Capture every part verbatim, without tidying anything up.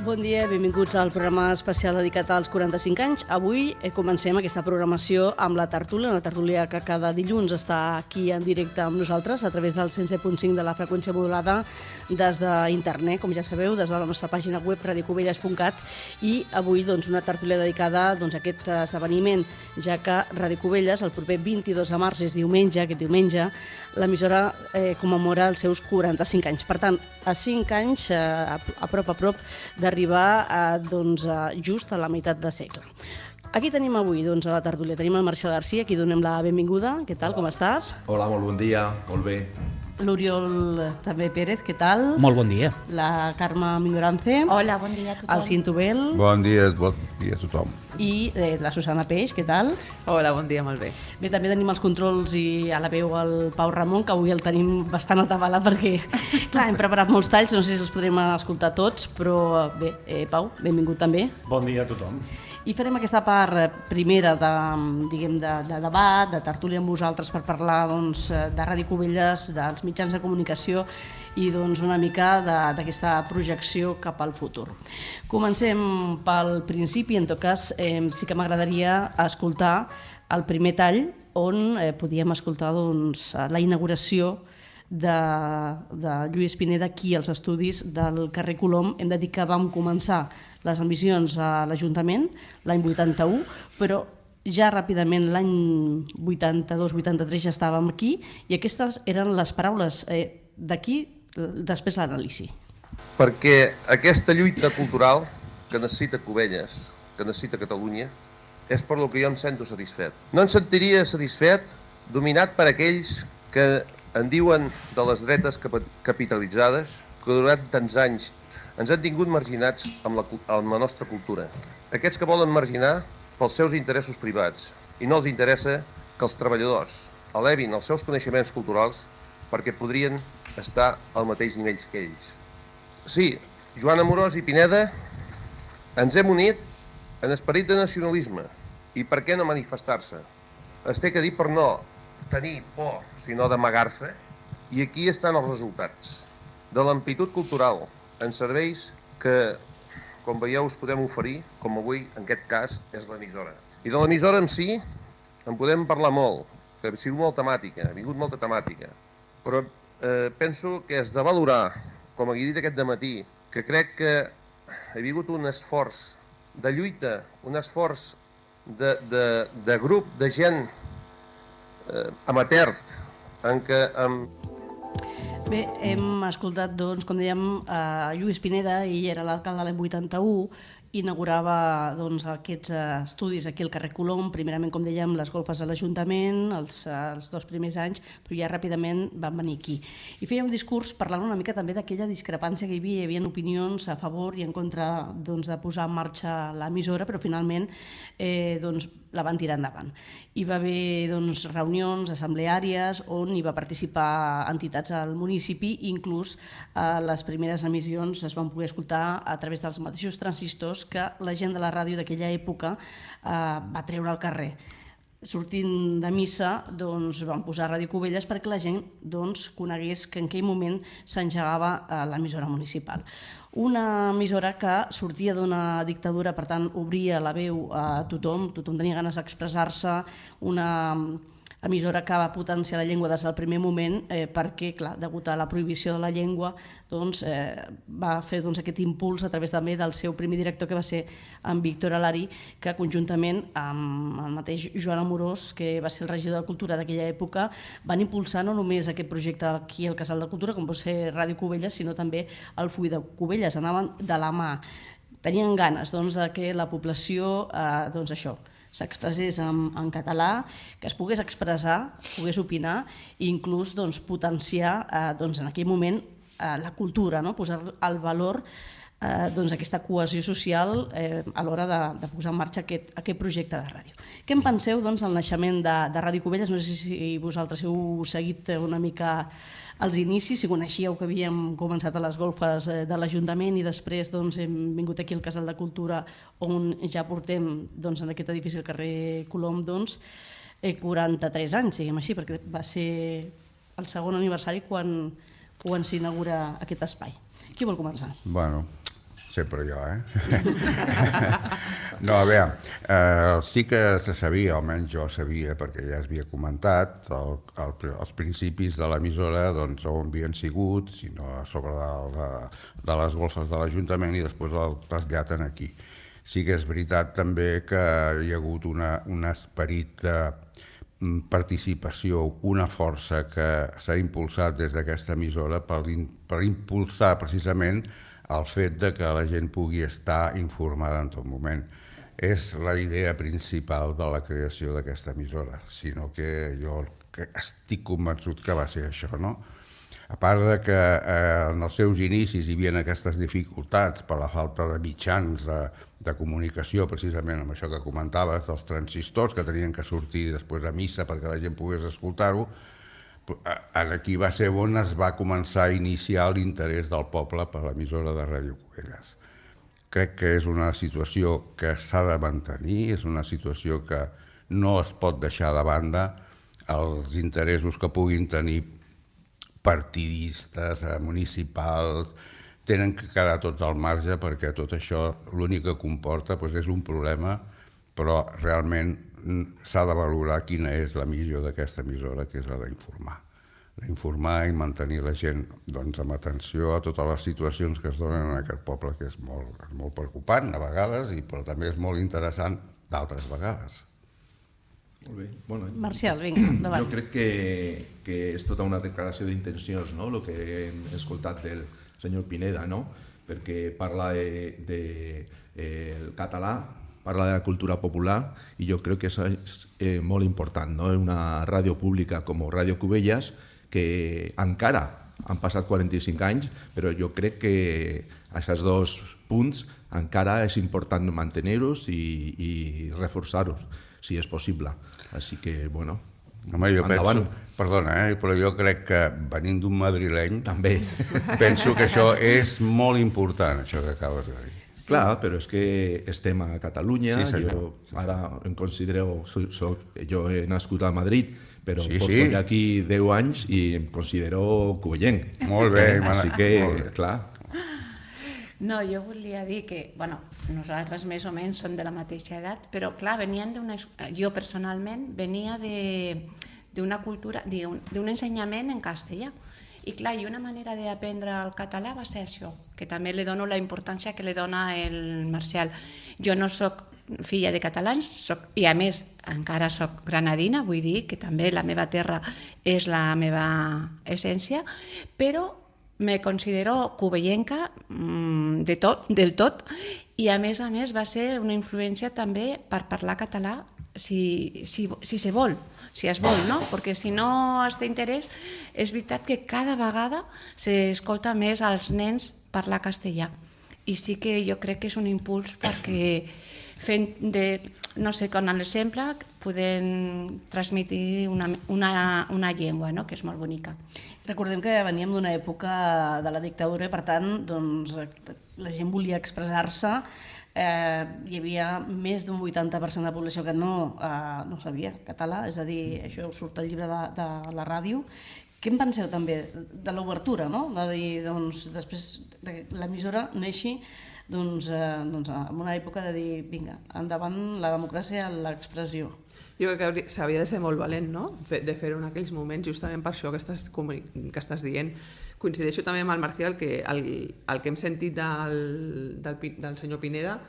Bon dia, benvinguts al programa especial dedicat als quaranta-cinc anys. Avui comencem aquesta programació amb la tertúlia, una tertúlia que cada dilluns està aquí en directe amb nosaltres a través del cent set punt cinc de la freqüència modulada des d'internet, com ja sabeu, des de la nostra pàgina web radiocovelles punt cat, i avui doncs, una tertúlia dedicada doncs, a aquest esdeveniment, ja que Ràdio Cubelles el proper vint-i-dos de març, és diumenge, aquest diumenge, l'emissora eh, commemora els seus quaranta-cinc anys. Per tant, a cinc anys, eh, a, a prop a prop, d'arribar a, doncs, a just a la meitat de segle. Aquí tenim avui doncs, a la tertúlia, tenim el Marcial Garcia, aquí donem la benvinguda. Què tal, com estàs? Hola, molt bon dia, molt bé. L'Oriol també Pérez, què tal? Molt bon dia. La Carme Migorance. Hola, bon dia a tothom. El Cintobel. Bon dia, bon dia a tothom. I eh, la Susana Peix, què tal? Hola, bon dia, molt bé. Bé, també tenim els controls i a la veu el Pau Ramon, que avui el tenim bastant atabalat perquè, clar, hem preparat molts talls, no sé si els podrem escoltar tots, però bé, eh, Pau, benvingut també. Bon dia a tothom. I farem aquesta part primera de, diguem, de, de debat, de tertúlia amb vosaltres per parlar doncs, de Ràdio Cubelles, dels mitjans de comunicació i doncs, una mica d'aquesta projecció cap al futur. Comencem pel principi, en tot cas eh, sí que m'agradaria escoltar el primer tall on eh, podíem escoltar doncs, la inauguració de, de Lluís Pineda aquí als estudis del carrer Colom. Hem de dir que vam començar les emissions a l'Ajuntament l'any vuitanta-u, però ja ràpidament l'any vuitanta-dos vuitanta-tres ja estàvem aquí i aquestes eren les paraules. Eh, d'aquí després l'anàlisi. Perquè aquesta lluita cultural que necessita Cubelles, que necessita Catalunya, és per lo que jo em sento satisfet. No em sentiria satisfet dominat per aquells que en diuen de les dretes capitalitzades, que durant tants anys ens han tingut marginats amb la, amb la nostra cultura. Aquests que volen marginar pels seus interessos privats i no els interessa que els treballadors elevin els seus coneixements culturals perquè podrien estar al mateix nivell que ells. Sí, Joan Amorós i Pineda ens hem unit en esperit de nacionalisme i per què no manifestar-se? Es té que dir per no tenir por, sinó d'amagar-se, i aquí estan els resultats de l'amplitud cultural en serveis que, com veieu, us podem oferir, com avui, en aquest cas, és l'emissora. I de l'emissora en si en podem parlar molt, que ha sigut molt temàtica, ha vingut molta temàtica, però eh, penso que és de valorar, com he dit aquest dematí, que crec que ha vingut un esforç de lluita, un esforç de, de, de grup de gent eh, amateur, en què... En... Bé, hem escoltat, doncs, com dèiem, a Lluís Pineda, ell era l'alcalde de l'any vuitanta-u, inaugurava doncs, aquests estudis aquí al carrer Colom, primerament, com dèiem, les golfes de l'Ajuntament, els, els dos primers anys, però ja ràpidament van venir aquí. I feia un discurs parlant una mica també d'aquella discrepància que hi havia, hi havia opinions a favor i en contra doncs, de posar en marxa l'emissora, però finalment eh, doncs, la van tirar endavant. Hi va haver doncs, reunions assembleàries on hi va participar entitats al municipi, inclús eh, les primeres emissions es van poder escoltar a través dels mateixos transistors que la gent de la ràdio d'aquella època eh, va treure al carrer. Sortint de missa, doncs, van posar Ràdio Cubelles perquè la gent doncs, conegués que en aquell moment s'engegava eh, l'emissora municipal. Una emissora que sortia d'una dictadura, per tant, obria la veu a tothom, tothom tenia ganes d'expressar-se, una emissora que va potenciar la llengua des del primer moment eh, perquè, clar, degut a la prohibició de la llengua, doncs, eh, va fer doncs, aquest impuls a través també del seu primer director, que va ser en Víctor Alari, que conjuntament amb el mateix Joan Amorós, que va ser el regidor de Cultura d'aquella època, van impulsar no només aquest projecte aquí al Casal de Cultura, com pot ser Ràdio Cubelles, sinó també el Full de Cubelles, anaven de la mà. Tenien ganes doncs, de que la població, eh, doncs això, s'expressés en, en català, que es pogués expressar, pogués opinar i inclús doncs, potenciar eh, doncs, en aquell moment eh, la cultura, no? Posar al valor eh, doncs, aquesta cohesió social eh, a l'hora de, de posar en marxa aquest, aquest projecte de ràdio. Què en penseu doncs, del naixement de, de Ràdio Cubelles? No sé si vosaltres heu seguit una mica als inicis, si coneixíeu que havíem començat a les golfes de l'Ajuntament i després doncs, hem vingut aquí al Casal de Cultura on ja portem doncs, en aquest edifici al carrer Colom doncs, quaranta-tres anys, diguem així, perquè va ser el segon aniversari quan, quan s'inaugura aquest espai. Qui vol començar? Bueno, sempre jo, eh? No, a veure, eh, sí que se sabia, almenys jo sabia, perquè ja es havia comentat, el, el, els principis de l'emissora, doncs, on havien sigut, sinó a sobre de, de, de les golfes de l'Ajuntament i després el trasllaten aquí. Sí que és veritat també que hi ha hagut una, un esperit de participació, una força que s'ha impulsat des d'aquesta emissora per, per impulsar precisament el fet de que la gent pugui estar informada en tot moment. És la idea principal de la creació d'aquesta emissora, sinó que jo estic convençut que va ser això, no? A part de que eh, en els seus inicis hi havia aquestes dificultats per la falta de mitjans de, de comunicació, precisament amb això que comentaves, dels transistors que tenien que sortir després a missa perquè la gent pogués escoltar-ho, aquí va ser on es va començar a iniciar l'interès del poble per l'emissora de Ràdio Cubelles. Crec que és una situació que s'ha de mantenir, és una situació que no es pot deixar de banda. Els interessos que puguin tenir partidistes, municipals, tenen que quedar tots al marge perquè tot això l'únic que comporta és un problema, però realment s'ha de valorar quina és la missió d'aquesta emissora, que és la d'informar. D'informar i mantenir la gent amb atenció a totes les situacions que es donen en aquest poble, que és molt preocupant a vegades, però també és molt interessant d'altres vegades. Molt bé. Bueno, Marcial, vinga, endavant. Jo crec que, que és tota una declaració d'intencions, no?, el que hem escoltat del senyor Pineda, no?, perquè parla de, de eh, el català, parla de la cultura popular, i jo crec que això és eh, molt important, no?, una ràdio pública com Ràdio Cubelles, que encara han passat quaranta-cinc anys, però jo crec que aquests dos punts encara és important mantenir-los i, i reforçar-los, si és possible. Així que, bueno, Home, jo endavant. penso, perdona, eh, però jo crec que venint d'un madrileny, també penso que això és molt important, això que acabes de dir. Sí. Clar, però és que estem a Catalunya, sí, jo ara em considero, soc, soc, jo he nascut a Madrid, però sí, porto sí. aquí deu anys i em considero cuvellenc. Molt bé, Així que, clar. No, jo volia dir que, bueno, nosaltres més o menys som de la mateixa edat, però clar, venien d'una, jo personalment venia d'una cultura, d'un ensenyament en castellà. I clar, i una manera d'aprendre el català va ser això, que també li dono la importància que li dona el Marcial. Jo no sóc filla de catalans, soc, i a més encara sóc granadina, vull dir que també la meva terra és la meva essència, però me considero cuvellenca de tot, del tot, i a més a més va ser una influència també per parlar català si, si, si se vol, si es vol, no? Perquè si no es té interès, és veritat que cada vegada s'escolta més als nens parlar castellà. I sí que jo crec que és un impuls perquè fent de, no sé, con l'exemple podem transmetre una, una, una llengua, no?, que és molt bonica. Recordem que veníem d'una època de la dictadura i, per tant, doncs, la gent volia expressar-se. Eh, hi havia més d'un vuitanta per cent de la població que no, eh, no sabia català, és a dir, això surt al llibre de, de la ràdio. Què en penseu també de l'obertura, no? De dir, doncs, després de l'emissora neixi, doncs, eh, doncs, en una època de dir, vinga, endavant la democràcia, l'expressió. Jo crec que s'havia de ser molt valent, no?, de fer-ho en aquells moments, justament per això que estàs, que estàs dient. Coincideixo també amb el Marcial que el, el que hem sentit del, del, del senyor Pineda,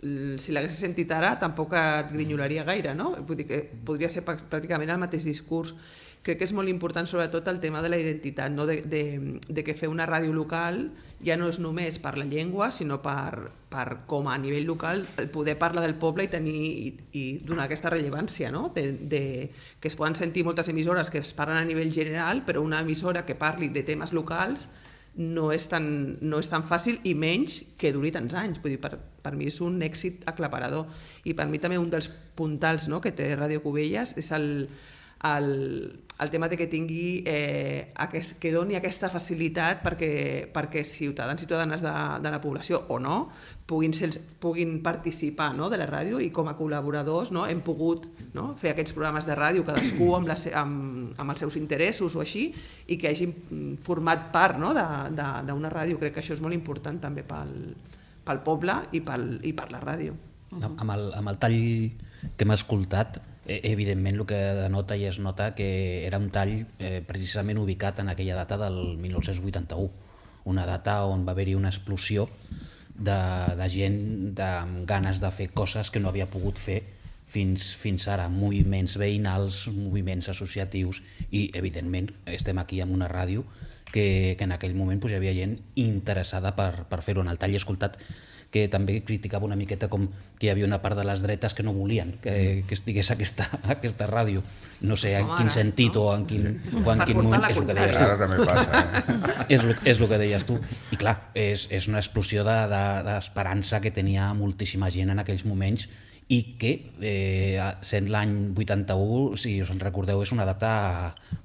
si l'hagués sentit ara tampoc et grinyolaria gaire, no? Vull dir que podria ser pràcticament el mateix discurs. Crec que és molt important sobretot el tema de la identitat, no? de, de, de que fer una ràdio local ja no és només per la llengua, sinó per, per com a nivell local poder parlar del poble i tenir i, i donar aquesta rellevància, no? de, de, que es poden sentir moltes emissores que es parlen a nivell general, però una emissora que parli de temes locals no és tan, no és tan fàcil i menys que duri tants anys. Vull dir, per, per mi és un èxit aclaparador. I per mi també un dels puntals, no?, que té Ràdio Cubelles és el El, el tema de que tingui eh, aquest, que doni aquesta facilitat perquè, perquè ciutadans i ciutadanes de, de la població o no puguin, ser, puguin participar, no?, de la ràdio, i com a col·laboradors, no?, hem pogut, no?, fer aquests programes de ràdio cadascú amb, la, amb, amb els seus interessos o així, i que hagin format part, no?, d'una ràdio. Crec que això és molt important també pel, pel poble i, pel, i per la ràdio. Amb el, amb el tall que hem escoltat, evidentment el que denota i es nota que era un tall eh, precisament ubicat en aquella data del mil nou-cents vuitanta-u, una data on va haver-hi una explosió de, de gent de, amb ganes de fer coses que no havia pogut fer fins, fins ara, moviments veïnals, moviments associatius i evidentment estem aquí amb una ràdio que, que en aquell moment pues, hi havia gent interessada per, per fer-ho. En el tall he escoltat que també criticava una miqueta com que hi havia una part de les dretes que no volien que, que estigués aquesta, aquesta ràdio. No sé en quin sentit o en quin, o en quin moment, és el que deies tu. Ara també passa, eh? és, el, és el que deies tu. I clar, és, és una explosió d'esperança de, de, que tenia moltíssima gent en aquells moments i que, eh, sent l'any vuitanta-u, si us en recordeu, és una data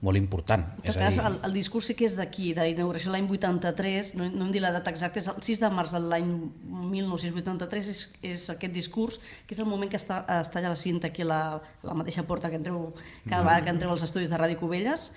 molt important. En tot cas, el, el discurs sí que és d'aquí, de la inauguració l'any vuitanta-tres, no, no em dic la data exacta, és el sis de març de l'any mil nou-cents vuitanta-tres, és, és aquest discurs, que és el moment que està, es talla la cinta aquí a la, a la mateixa porta que entreu cada vegada que entreu als estudis de Ràdio Cubelles.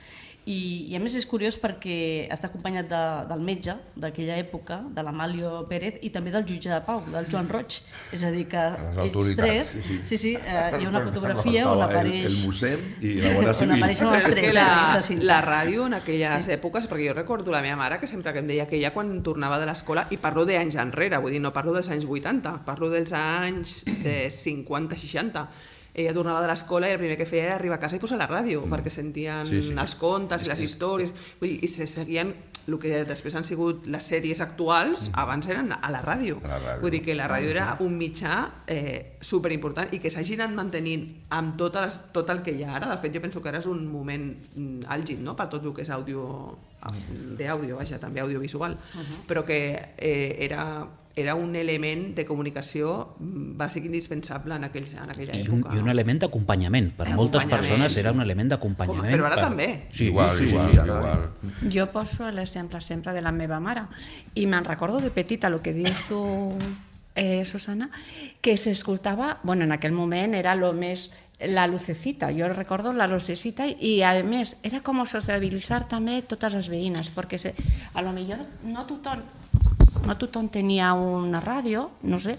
I, i a més és curiós perquè està acompanyat de, del metge d'aquella època, de l'Amalio Pérez, i també del jutge de pau, del Joan Roig. És a dir, que ells tres, sí, sí, sí, sí eh, hi ha una fotografia on apareix... El, el mossèn i la Guàrdia Civil. On apareixen els tres. La, la, la ràdio en aquelles sí. èpoques, perquè jo recordo la meva mare que sempre que em deia que ella quan tornava de l'escola, i parlo d'anys enrere, vull dir, no parlo dels anys vuitanta, parlo dels anys de cinquanta seixanta, ella tornava de l'escola i el primer que feia era arribar a casa i posar la ràdio, mm. perquè sentien sí, sí. els contes i les històries, vull dir, i se seguien el que després han sigut les sèries actuals, mm. abans eren a la ràdio. A la ràdio. Vull dir que la ràdio era un mitjà eh, superimportant i que s'hagi anat mantenint amb tot, les, tot el que hi ha ara. De fet, jo penso que ara és un moment àlgid, no?, per tot el que és àudio, d'àudio, vaja, també audiovisual, uh -huh. però que eh, era... era un element de comunicació bàsic indispensable en, aquell, en aquella I època. Un, I un element d'acompanyament. Per moltes persones era un element d'acompanyament. Però ara per... també. Sí, igual, sí, igual, sí, sí, igual. Jo poso l'exemple sempre de la meva mare i me'n recordo de petita, el que dius tu, eh, Susana, que s'escoltava, bueno, en aquell moment era lo més la lucecita, jo recordo la lucecita i a més era com sociabilitzar també totes les veïnes, perquè se, a lo millor no tothom no tothom tenia una ràdio, no sé,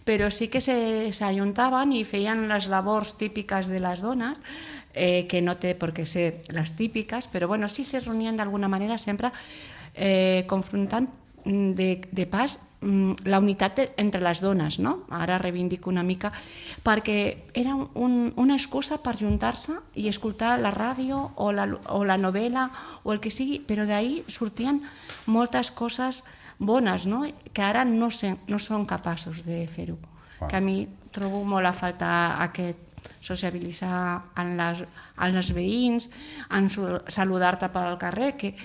però sí que s'ajuntaven i feien les labors típiques de les dones, eh, que no té per què ser les típiques, però bueno, sí se reunien d'alguna manera sempre eh, confrontant de, de pas la unitat de, entre les dones, no? Ara reivindico una mica, perquè era un, una excusa per juntar-se i escoltar la ràdio o la, o la novel·la o el que sigui, però d'ahir sortien moltes coses bones, no?, que ara no, se, no són capaços de fer-ho. Ah. Que a mi trobo molt a faltar aquest sociabilitzar en les, en els veïns, en saludar-te pel carrer, que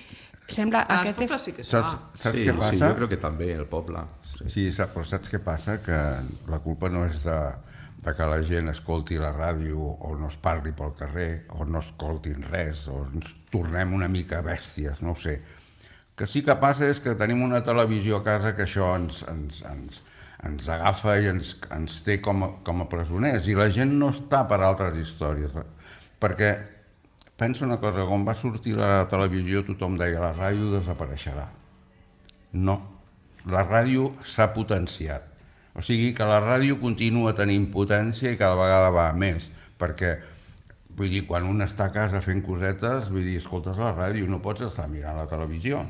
sembla... Ah, aquest... el sí que es saps, saps sí, què passa? Sí, jo crec que també, el poble. Sí, sí saps, però saps què passa? Que la culpa no és de, de que la gent escolti la ràdio o no es parli pel carrer o no escoltin res o ens tornem una mica bèsties, no ho sé. Que sí que passa és que tenim una televisió a casa que això ens, ens, ens, ens agafa i ens, ens té com a, com a presoners i la gent no està per altres històries. Perquè pensa una cosa, quan va sortir la televisió tothom deia la ràdio desapareixerà. No, la ràdio s'ha potenciat. O sigui que la ràdio continua tenint potència i cada vegada va a més, perquè vull dir, quan un està a casa fent cosetes, vull dir, escoltes la ràdio, no pots estar mirant la televisió.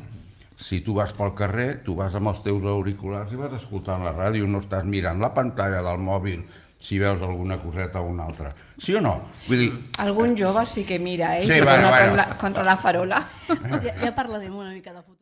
Si tu vas pel carrer, tu vas amb els teus auriculars i vas escoltant la ràdio, no estàs mirant la pantalla del mòbil si veus alguna coseta o una altra. Sí o no? Vull dir... Algun jove sí que mira, eh? Sí, I bueno, bueno. bueno. Contra, contra la farola. Ja, ja parlarem una mica de futur.